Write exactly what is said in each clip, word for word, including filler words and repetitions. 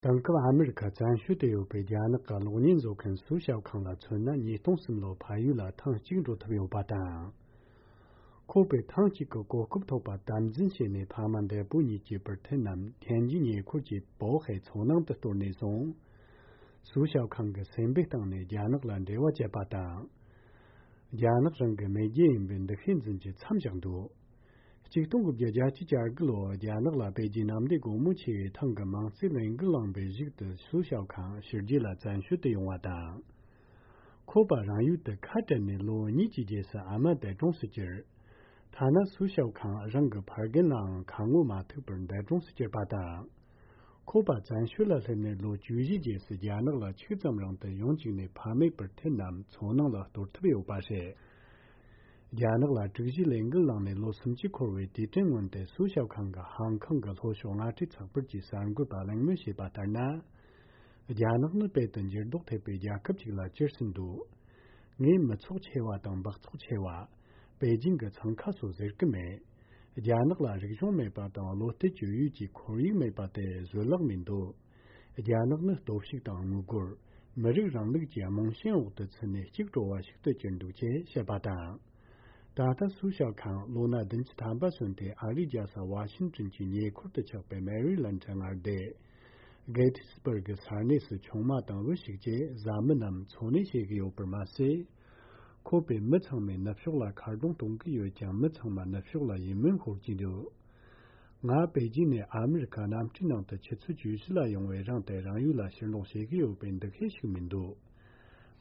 དེང་སྐབས་ཨ་མི་རི་ཁ་བཙན་བྱོལ་དུ་ཡོད་པའི་རྒྱ་ནག་གི་གློག་བརྙན་བཟོ་མཁན་སུའུ་ཞའོ་ཁང་ལ་མཚོན་ན། ཉིས་སྟོང་གསུམ་ལོར་ཕ་ཡུལ་ལ་ཐེངས་གཅིག་འགྲོ་ཐུབ་ཡོད་པ་དང་། ཁོ་པས་ཐེངས་གཅིག་གི་གོ་སྐབས་ཐོབ་པ་དམ་འཛིན་བྱས་ནས། ཕ་མ་འདས་པོ་གཉིས་ཀྱི་པར་འཐེན་ནམ་ཐན་ཇི་ཉེ་འཁོར་གྱི་པོ་ཧའེ་མཚོ་ནང་དུ་གཏོར་ནས་བཟུང་། སུའུ་ཞའོ་ཁང་གི་སེམས་པའི་སྟེང་ནས་རྒྱ་ནག་ལ་འབྲེལ་བ་བཅད་པ་དང་། རྒྱ་ནག་རང་གི་མེས་རྒྱལ་ཡིན་པའི་འདུ་ཤེས་འཛིན་རྒྱུ་མཚམས་བཞག་འདུག། ཆིག་སྟོང་དགུ་བརྒྱ་གྱ་དགུ་ལོར་རྒྱ་ནག་ལ་པེ་ཅིན་གནམ་བདེ་སྒོ་མོ་ཆེ་བའི་ཐང་གི་མིང་རྩིས་ལས་འགུལ་བསླངས་པའི་གཞུག་ཏུ་སུའུ་ཞའོ་ཁང་ཕྱི་རྒྱལ་ལ་བཙན་བྱོལ་དུ་ཡོང་བ་དང་། ཁོ་པ་རང་ཡུལ་དུ་ཁ་བྲལ་ནས་ལོ་གཉིས་ཀྱི་རྗེས་སུ་ཨ་མ་འདས་གྲོངས་སུ་གྱུར། ཐ་ན་སུའུ་ཞའོ་ཁང་རང་གི་ཕ་རྒན་ལའང་ཁ་ངོ་མ་ཐུག་པར་འདས་གྲོངས་སུ་གྱུར་པ་དང་། ཁོ་པ་བཙན་བྱོལ་ལ་སླེབས་ནས་ལོ་བཅུ་བཞི་རྗེས་སུ་རྒྱ་ནག་ལ་ཆིག་ཙམ་རིང་དུ་ཡོང་བཅུག་ནས། ཕ་མའི་པར་འཐེན་ནམ་མཚོ་ནང་ལ་གཏོར་ཐུབ་ཡོད་པ་རེད། རྒྱ་ནག་ལ་དྲུག་བཞིའི་ལས་འགུལ་བསླངས་ནས་ལོ་སུམ་ཅུ་འཁོར་བའི་དུས་དྲན་སྔོན་དུ། སུའུ་ཞའོ་ཁང་གི་ཧང་ཁང་གི་ལྷོ་ཕྱོགས་མངའ་སྡེ་ཚགས་པར་གྱིས་གསར་འགོད་པ་གླེང་མོལ་བྱས་པ་ལྟར་ན། རྒྱ་ནག་ནི་དཔལ་དུ་འགྱུར་ལྡོག་ཐེབས་པའི་རྒྱལ་ཁབ་ཅིག་ལ་གྱུར་ཟིན་འདུག། ངས་མི་ཚོགས་ཆེ་བ་དང་འབག་ཚོགས་ཆེ་བ། པེ་ཅིང་གི་འཚང་ཁ་སོགས་ཟེར་གི་མེད། རྒྱ་ནག་ལ་རིག་གཞུང་མེད་པ་དང་། བློ་གཏད་བཅོལ་ཡུལ་གྱི་ཁོར་ཡུག་མེད་པ་དེ་བཟོད་གླགས་མི་འདུག། རྒྱ་ནག་ནི་སྟོབས་ཤུགས་དང་དངུལ་སྒོར། མི་རིགས་རིང་ལུགས་ཀྱི་རྨང་ཆེན་འོག་ཏུ་ཚུད་ནས་གཅིག་གྲོལ་བ་ཞིག་ཏུ་གྱུར་འདུག་ཅེས་བཤད་པ་དང་། ད་ལྟ་སུའུ་ཞའོ་ཁང་ལོ་ན་བདུན་ཅུ་ཐམ་པ་སོན་ཏེ། ཨ་རིའི་རྒྱལ་ས་ཝ་ཤིང་ཏོན་གྱི་ཉེ་འཁོར་དུ་ཆགས་པའི་མེ་རི་ལན་ཌི་མངའ་སྡེ། གེ་ཐི་སི་བར་གི་ས་གནས་སུ་ཆུང་མ་དང་བུ་ཞིག་བཅས་བཟའ་མི་རྣམས་འཚོ་གནས་བྱེད་ཀྱི་ཡོད་པར་མ་ཟད། ཁོ་པས་མི་ཚང་མའི་ནུབ་ཕྱོགས་ལ་ཁ་རྡུང་གཏོང་གི་ཡོད་ཀྱང་། མི་ཚང་མ་ནུབ་ཕྱོགས་ལ་ཡིད་སྨོན་ཤོར་གྱི་འདུག། ང་པེ་ཅིན་ནས་ཨ་མི་རི་ཁ་གནམ་གྲུའི་ནང་དུ་ཆུ་ཚོད་བཅུ་བཞི་ལ་ཡོང་བའི་རིང་དུ་རང་ཡུལ་ལ་ཕྱིར་ལོག་བྱེད་ཀྱི་ཡོད་པའི་འདུ་ཤེས་ཤིག་མི་འདུག།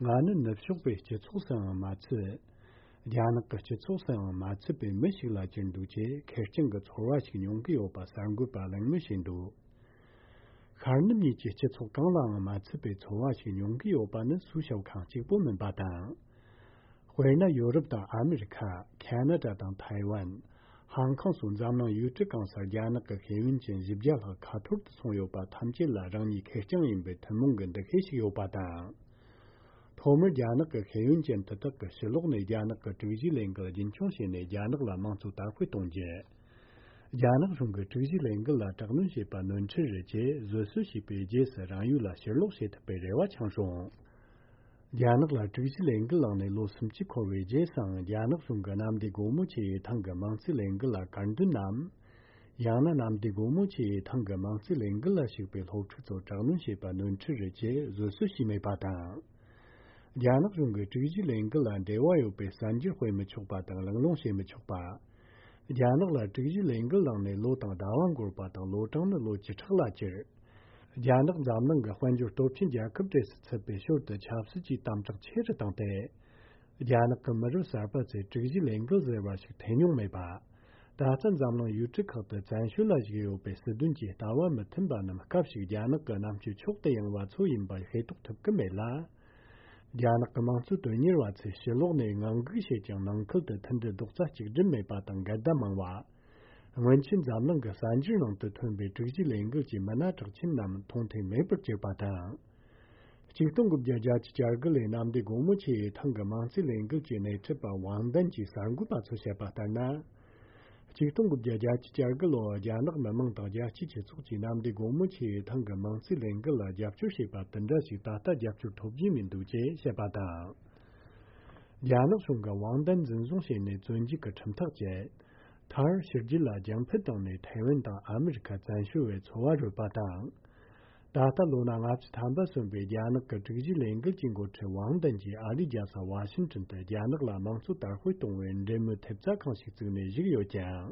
ང་ནི་ནུབ་ཕྱོགས་པའི་སྤྱི་ཚོགས་སུའང་མ་ཚུད། རྒྱ་ནག་གི་སྤྱི་ཚོགས་སུའང་མ་ཚུད་པའི་མི་ཞིག་ལ་གྱུར་འདུག་ཅེས་ཁེར་རྐྱང་གི་ཚོར་བ་ཞིག་མྱོང་གི་ཡོད་པ་གསར་འགོད་པ་གླེང་མོལ་བྱས་འདུག། ཤར་ནུབ་གཉིས་ཀྱི་སྤྱི་ཚོགས་གང་ལའང་མ་ཚུད་པའི་ཚོར་བ་ཞིག་མྱོང་གི་ཡོད་པ་ནི་སུའུ་ཞའོ་ཁང་གཅིག་པུ་མིན་པ་དང་། དཔེར་ན། ཡོ་རོབ་དང་ཨ་མི་རི་ཁ། ཁ་ན་ཌ་དང་ཐའེ་ཝན། ཧང་ཀང་སོགས་འཛམ་གླིང་ཡུལ་གྲུ་གང་སར་རྒྱ་ནག་གི་ཤེས་ཡོན་ཅན་བཞི་བརྒྱ་ལྷག་ཁ་འཐོར་དུ་སོང་ཡོད་པ་ཐམས་ཅད་ལ་རང་ཉིད་ཁེར་རྐྱང་ཡིན་པའི་ཐུན་མོང་གི་འདུ་ཤེས་ཤིག་ཡོད་པ་དང་། ཐོག་མར་རྒྱ་ནག་གི་ཤེས་ཡོན་ཅན་དེ་དག་གིས་ཕྱི་ལོགས་ནས་རྒྱ་ནག་གི་དྲུག་བཞིའི་ལས་འགུལ་རྒྱུན་འཁྱོངས་བྱས་ནས། རྒྱ་ནག་ལ་དམངས་གཙོ་དར་སྤེལ་གཏོང་རྒྱུ། རྒྱ་ནག་གཞུང་གིས་དྲུག་བཞིའི་ལས་འགུལ་ལ་དྲག་གནོན་བྱས་པ་ནོར་འཁྲུལ་རེད་ཅེས་བཟོད་གསོལ་བྱས་པའི་རྗེས་སུ་རང་ཡུལ་ལ་ཕྱིར་ལོག་བྱེད་ཐུབ་པའི་རེ་བ་འཆང་སོང་། རྒྱ་ནག་ལ་དྲུག་བཞིའི་ལས་འགུལ་བསླངས་ནས་ལོ་སུམ་ཅུ་འཁོར་བའི་རྗེས་སུའང་། རྒྱ་ནག་གཞུང་གིས་གནམ་བདེ་སྒོ་མོ་ཆེ་བའི་ཐང་གི་མིང་རྩིས་ལས་འགུལ་ལ་དཀར་འདོན་ནམ། ཡང་ན་གནམ་བདེ་སྒོ་མོ་ཆེའི་ཐང་གི་མིང་རྩིས་ལས་འགུལ་ལ་ཞུགས་པའི་སློབ་ཕྲུག་ཚོར་དྲག་གནོན་བྱས་པ་ནོར་འཁྲུལ་རེད་ཅེས་བཟོད་གསོལ་ཞུས་མེད་པ་དང་། རྒྱ་ནག་གཞུང་གིས་དྲུག་བཞིའི་ལས་འགུལ་ལ་འབྲེལ་བ་ཡོད་པའི་གསར་འགྱུར་སྤེལ་མི་ཆོག་པ་དང་། གླེང་སློང་བྱེད་མི་ཆོག་པ། རྒྱ་ནག་ལ་དྲུག་བཞིའི་ལས་འགུལ་བསླངས་ནས་ལོ་དང་ཟླ་བ་འགོར་བ་དང་། ལོ་གྲངས་ནི་ལོ་བཅུ་ཕྲག་ལ་གྱུར། རྒྱ་ནག་འཛམ་གླིང་གི་དཔལ་འབྱོར་སྟོབས་ཆེན་རྒྱལ་ཁབ་གྲས་སུ་ཚུད་པའི་ཞོར་དུ་ཆབ་སྲིད་ཀྱི་དམ་དྲག་ཆེ་རུ་བཏང་སྟེ། རྒྱ་ནག་གི་མི་རབས་གསར་པ་ཚོས་དྲུག་བཞིའི་ལས་འགུལ་ཟེར་བ་ཞིག་ཐོས་མྱོང་མེད་པ། ད་ལྟ་འཛམ་གླིང་ཡུལ་གྲུ་ཁག་ཏུ་བཙན་བྱོལ་ལ་བཞུགས་ཡོད་པའི་སྲིད་དོན་གྱི་ལྟ་བ་མི་མཐུན་པ་རྣམས་སྐབས་ཤིག་རྒྱ་ནག་གི་རྣམ་དཔྱོད་མཆོག་ཏུ་ཡངས་པ་ཚོ་ཡིན་པ་ཤེས་རྟོགས་ཐུབ་ཀྱི་མེད་ལ། རྒྱ་ནག་གི་དམངས་གཙོ་དོན་གཉེར་བ་ཚོས་ཕྱི་ལོགས་ནས་ངང་སྒུག་བྱེད་ཀྱང་། ནང་ཁུལ་དུ་མཐུན་སྒྲིལ་རྡོག་རྩ་གཅིག་སྒྲིལ་མེད་པ་དང་འགལ་ཟླ་མང་བ། སྔོན་ཆད་འཛམ་གླིང་གི་གསར་འགྱུར་ནང་དུ་ཐོན་པའི་དྲུག་བཞིའི་ལས་འགུལ་གྱི་མི་སྣ་གྲགས་ཆེན་རྣམས་མཐོང་ཐོས་མེད་པར་གྱུར་པ་དང་། ཆིག་སྟོང་དགུ་བརྒྱ་གྱ་དགུ་ལོའི་གནམ་བདེ་སྒོ་མོ་ཆེའི་ཐང་གི་མིང་རྩིས་ལས་འགུལ་གྱི་སྣེ་ཁྲིད་པ་ཝང་ཏན་གྱིས་གསར་འགོད་པ་ཚོར་བཤད་པ་ལྟར་ན། ཆིག་སྟོང་དགུ་བརྒྱ་གྱ་དགུ་ལོར་རྒྱ་ནག་མི་དམངས་དང་རྒྱལ་སྤྱིའི་སྤྱི་ཚོགས་ཀྱིས་གནམ་བདེ་སྒོ་མོ་ཆེའི་ཐང་གི་མིང་རྩིས་ལས་འགུལ་ལ་རྒྱབ་སྐྱོར་བྱས་པ་དེ་འདྲ་ཞིག་ད་ལྟ་རྒྱབ་སྐྱོར་ཐོབ་རྒྱུ་མི་འདུག་ཅེས་བཤད་པ་དང་། རྒྱ་ནག་གཞུང་གིས་ཝང་ཏན་འཛིན་བཟུང་བྱས་ནས་བཙོན་འཇུག་གི་ཁྲིམས་ཐག་བཅད། མཐར་ཕྱི་རྒྱལ་ལ་རྒྱང་འཕུར་བཏང་ནས་ཐའེ་ཝན་དང་ཨ་མི་རི་ཁ་བཙན་བྱོལ་བའི་འཚོ་བ་རོལ་པ་དང་། ད་ལྟ་ལོ་ན་ལྔ་བཅུ་ཐམ་པ་སོན་པའི་རྒྱ་ནག་གི་དྲུག་བཞིའི་ལས་འགུལ་གྱི་འགོ་ཁྲིད་ཝང་ཏན་གྱིས་ཨ་རིའི་རྒྱལ་ས་ཝ་ཤིང་ཏོན་དུ་རྒྱ་ནག་ལ་དམངས་གཙོ་དར་སྤེལ་གཏོང་བའི་འབྲེལ་མོལ་ཐེབས་རྩ་ཁང་ཞིག་བཙུགས་ནས་བཞུགས་ཡོད་ཀྱང་།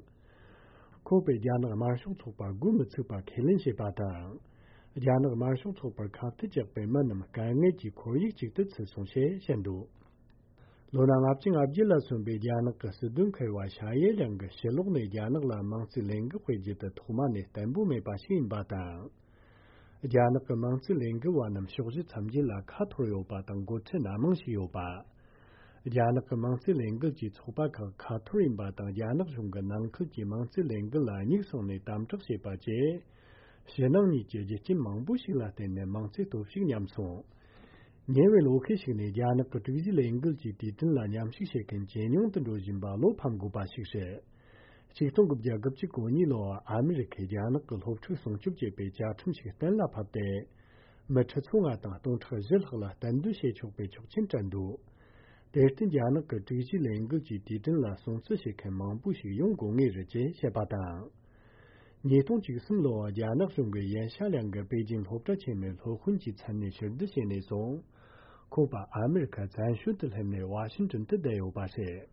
ཁོ་པས་རྒྱ་ནག་དམར་ཤོག་ཚོགས་པ་འགོ་མི་ཚུགས་པ་ཁས་ལེན་བྱས་པ་དང་། རྒྱ་ནག་དམར་ཤོག་ཚོགས་པར་ཁ་གཏད་བཅག་པའི་མི་རྣམས་དཀའ་ངལ་གྱི་ཁོར་ཡུག་ཅིག་ཏུ་ཚུད་སོང་ཞེས་བཤད་འདུག། ལོ་ན་ལྔ་བཅུ་ང་བརྒྱད་ལ་སོན་པའི་རྒྱ་ནག་གི་སྲིད་དོན་མཁས་པ་ཤ་ཡེ་ལིང་གིས་ཕྱི་ལོགས་ནས་རྒྱ་ནག་ལ་དམངས་གཙོའི་ལས་འགུལ་སྤེལ་རྒྱུ་དེ་ཐོག་མ་ནས་བརྟན་པོ་མེད་པ་ཞིག་ཡིན་པ་དང་། རྒྱ་ནག་གི་དམངས་གཙོའི་ལས་འགུལ་བ་རྣམས་ཕྱོགས་བཞི་མཚམས་བརྒྱད་ལ་ཁ་འཐོར་ཡོད་པ་དང་། འགོ་ཁྲིད་སྣ་མང་ཞིག་ཡོད་པ། རྒྱ་ནག་གི་དམངས་གཙོའི་ལས་འགུལ་གྱི་ཚོགས་པ་ཁག་ཁ་འཐོར་ཡིན་པ་དང་། རྒྱ་ནག་གཞུང་གིས་ནང་ཁུལ་གྱི་དམངས་གཙོའི་ལས་འགུལ་ལ་སྙུག་བསྲིངས་ནས་དམ་དྲག་བྱས་པ་བཅས། ཕྱི་ནང་གཉིས་ཀྱི་རྒྱུ་རྐྱེན་མང་པོ་ཞིག་ལ་བརྟེན་ནས་དམངས་གཙོའི་སྟོབས་ཤུགས་ཉམས་སོང་། ཉེ་བའི་ལོ་ཤས་ཤིག་ནས་རྒྱ་ནག་གི་དྲུག་བཞིའི་ལས་འགུལ་གྱི་དུས་དྲན་ལ་མཉམ་ཞུགས་བྱེད་མཁན་ཇེ་ཉུང་དུ་འགྲོ་བཞིན་པ་བློ་ཕམ་དགོས་པ་ཞིག་རེད། ཆིག་སྟོང་དགུ་བརྒྱ་དགུ་བཅུ་གོ་གཉིས་ལོར་ཨ་མི་རི་ཁས་རྒྱ་ནག་གི་སློབ་ཕྲུག་སྲུང་སྐྱོབ་བྱེད་པའི་བཅའ་ཁྲིམས་ཤིག་གཏན་ལ་ཕབ་སྟེ། མི་ཁྲི་ཚོ་ལྔ་དང་སྟོང་ཕྲག་བཞི་ལྷག་ལ་གཏན་སྡོད་བྱེད་ཆོག་པའི་ཆོག་མཆན་སྤྲད་འདུག་དེར་བརྟེན་རྒྱ་ནག་གི་དྲུག་ཅུའི་ལས་འགུལ་གྱི་དུས་དྲན་ལ་སྲུང་བརྩི་བྱེད་མཁན་མང་པོ་ཞིག་ཡོང་དགོས་ངེས་རེད་ཅེས་བཤད་པ་དང་། ཉིས་སྟོང་བཅུ་གསུམ་ལོར་རྒྱ་ནག་གཞུང་གིས་ཡན་ཤ་ལིང་གི་པེ་ཅིན་སློབ་གྲྭ་ཆེན་མོའི་སློབ་དཔོན་གྱི་མཚན་ནས་ཕྱིར་བསྡུ་བྱས་ནས་བཟུང་། ཁོང་པ་ཨ་མི་རི་ཁ་བཙན་བྱོལ་དུ་སླེབས་ནས་ཝ་ཤིང་ཏོན་དུ་བསྡད་ཡོད་པ་རེད།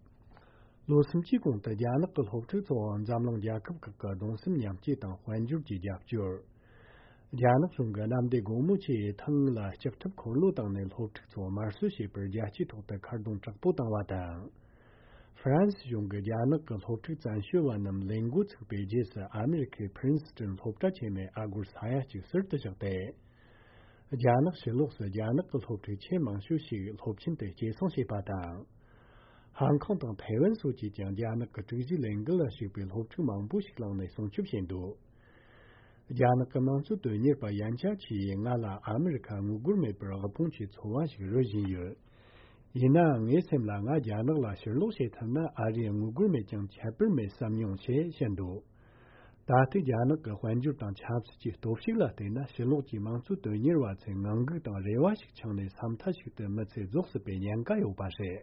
ལོ་སུམ་ཅུའི་གོང་དུ་རྒྱ་ནག་གི་སློབ་ཕྲུག་ཚོར་འཛམ་གླིང་རྒྱལ་ཁབ་ཁག་གི་གདུང་སེམས་མཉམ་སྐྱེད་དང་དཔལ་འབྱོར་གྱི་རྒྱབ་སྐྱོར། རྒྱ་ནག་གཞུང་གི་གནམ་བདེ་སྒོ་མོ་ཆེའི་ཐང་ལ་ལྕགས་ཁྲབ་འཁོར་ལོ་བཏང་ནས་སློབ་ཕྲུག་ཚོར་དམར་གསོད་བྱས་པར་རྒྱལ་སྤྱིའི་ཐོག་ཏུ་ཁ་རྡུང་དྲག་པོ་བཏང་བ་དང་། ཧྥ་རན་སི་གཞུང་གིས་རྒྱ་ནག་གི་སློབ་ཕྲུག་བཙན་བྱོལ་བ་རྣམས་ལས་འགོ་ཚུགས་པའི་རྗེས་སུ་ཨ་མི་རི་ཁའི་ཕི་རིན་སི་ཏོན་སློབ་གྲྭ་ཆེན་མོའི་ཨ་སྒོར་ས་ཡ་གཅིག་ཟུར་དུ་བཞག་སྟེ། རྒྱ་ནག་ཕྱི་ལོགས་སུ་རྒྱ་ནག་གི་སློབ་ཕྲུག་ཆེས་མང་ཤོས་ཤིག་སློབ་ཆེན་དུ་སྐྱེད་སྲིང་བྱས་པ་དང་། ཧང་ཀོང་དང་ཐའེ་ཝན་སོགས་ཀྱིས་ཀྱང་རྒྱ་ནག་གི་དྲུག་ཅུའི་ལས་འགུལ་ལ་ཞུགས་པའི་སློབ་ཕྲུག་མང་པོ་ཞིག་བླངས་ནས་སྲུང་སྐྱོབ་བྱས་འདུག་རྒྱ་ནག་གི་དམངས་གཙོ་དོན་གཉེར་པ་ཡན་ཆ་ཆི་ཡིས་ང་ལ་ཨ་མི་རི་ཁ་དངུལ་སྒོར་མེད་པར་དབུལ་ཕོངས་ཀྱི་འཚོ་བ་ཞིག་རོལ་བཞིན་ཡོད། ཡིན་ནའང་ངའི་སེམས་ལ་ང་རྒྱ་ནག་ལ་ཕྱིར་ལོག་བྱེད་ཐུབ་ན་ཨ་རིའི་དངུལ་སྒོར་མེད་ཀྱང་ཁྱད་པར་མེད་བསམ་མྱོང་ཞེས་བཤད་འདུག་ད་ལྟའི་རྒྱ་ནག་གི་དཔལ་འབྱོར་དང་ཆབ་སྲིད་ཀྱི་སྟོབས་ཤུགས་ལ་བལྟས་ན་ཕྱི་ལོགས་ཀྱི་དམངས་གཙོ་དོན་གཉེར་བ་ཚོས་ངང་སྒུག་དང་རེ་བ་ཞིག་འཆང་ནས་ས་མཐའ་ཞིག་ཏུ་མི་ཚེ་རྫོགས་སྲིད་པའི་ཉེན་ཁ་ཡོད་པ་རེད།